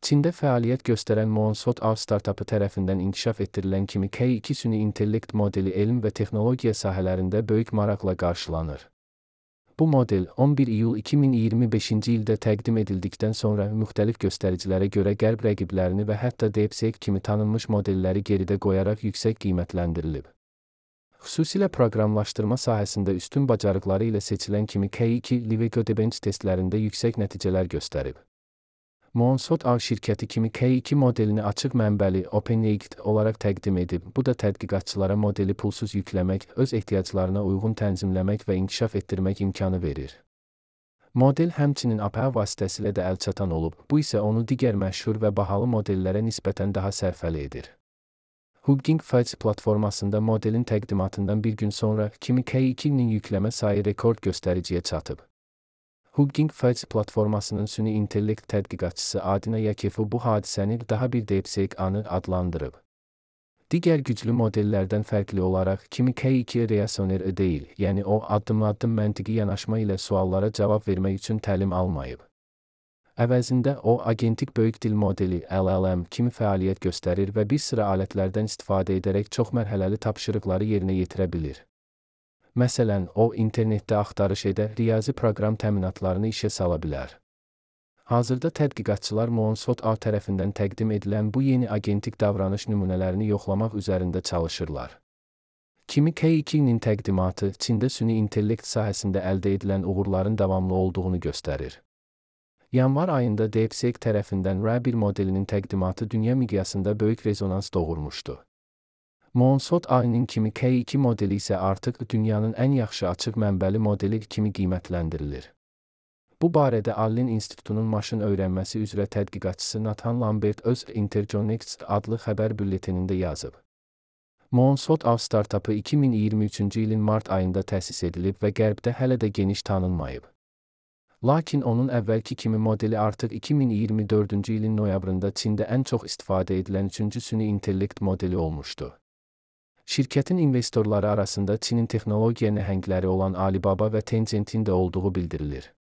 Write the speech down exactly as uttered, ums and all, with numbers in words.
Çində fəaliyyət göstərən Moonsot A startapı tərəfindən inkişaf etdirilən kimi K iki süni intellekt modeli elm və texnologiya sahələrində böyük maraqla qarşılanır. Bu model on bir iyul iki min iyirmi beşinci ildə təqdim edildikdən sonra müxtəlif göstəricilərə görə qərb rəqiblərini və hətta DeepSeek kimi tanınmış modelləri geridə qoyaraq yüksək qiymətləndirilib. Xüsusilə proqramlaşdırma sahəsində üstün bacarıqları ilə seçilən kimi K iki LiveCodeBench testlərində yüksək nəticələr göstərib. Moonsot A şirkəti kimi K iki modelini açıq mənbəli OpenAI olaraq təqdim edib. Bu da tədqiqatçılara modeli pulsuz yükləmək, öz ehtiyaclarına uyğun tənzimləmək və inkişaf etdirmək imkanı verir. Model həmçinin A P I vasitəsilə də əlçatan olub, bu isə onu digər məşhur və bahalı modellərə nisbətən daha sərfəli edir. Hugging Face platformasında modelin təqdimatından bir gün sonra kimi K ikinin yükləmə sayı rekord göstəriciyə çatıb. Hugging Face platformasının süni intellekt tədqiqatçısı Adina Yakefu bu hadisəni daha bir DeepSeek anı adlandırıb. Digər güclü modellərdən fərqli olaraq kimi K iki reasoner deyil, yəni o addım-addım məntiqi yanaşma ilə suallara cavab vermək üçün təlim almayıb. Əvəzində o agentik böyük dil modeli L L M kimi fəaliyyət göstərir və bir sıra alətlərdən istifadə edərək çoxmərhələli tapşırıqları yerinə yetirə bilir. Məsələn, o internetdə axtarış edə, riyazi proqram təminatlarını işə sala bilər. Hazırda tədqiqatçılar Moonsot A tərəfindən təqdim edilən bu yeni agentik davranış nümunələrini yoxlamaq üzərində çalışırlar. Kimi K ikinin təqdimatı Çində süni intellekt sahəsində əldə edilən uğurların davamlı olduğunu göstərir. Yanvar ayında DeepSeek tərəfindən R A bir modelinin təqdimatı dünya miqyasında böyük rezonans doğurmuşdu. Moonsot A-nin kimi K iki modeli isə artıq dünyanın ən yaxşı açıq mənbəli modeli kimi qiymətləndirilir. Bu barədə Allen İnstitutunun maşın öyrənməsi üzrə tədqiqatçısı Nathan Lambert öz Interconnects adlı xəbər bülletenində yazıb. Moonsot A startapı iki min iyirmi üçüncü ilin mart ayında təsis edilib və Qərbdə hələ də geniş tanınmayıb. Lakin onun əvvəlki kimi modeli artıq iki min iyirmi dördüncü ilin noyabrında Çində ən çox istifadə edilən üçüncü süni intellekt modeli olmuşdu. Şirkətin investorları arasında Çinin texnologiya nəhəngləri olan Alibaba və Tencent'in də olduğu bildirilir.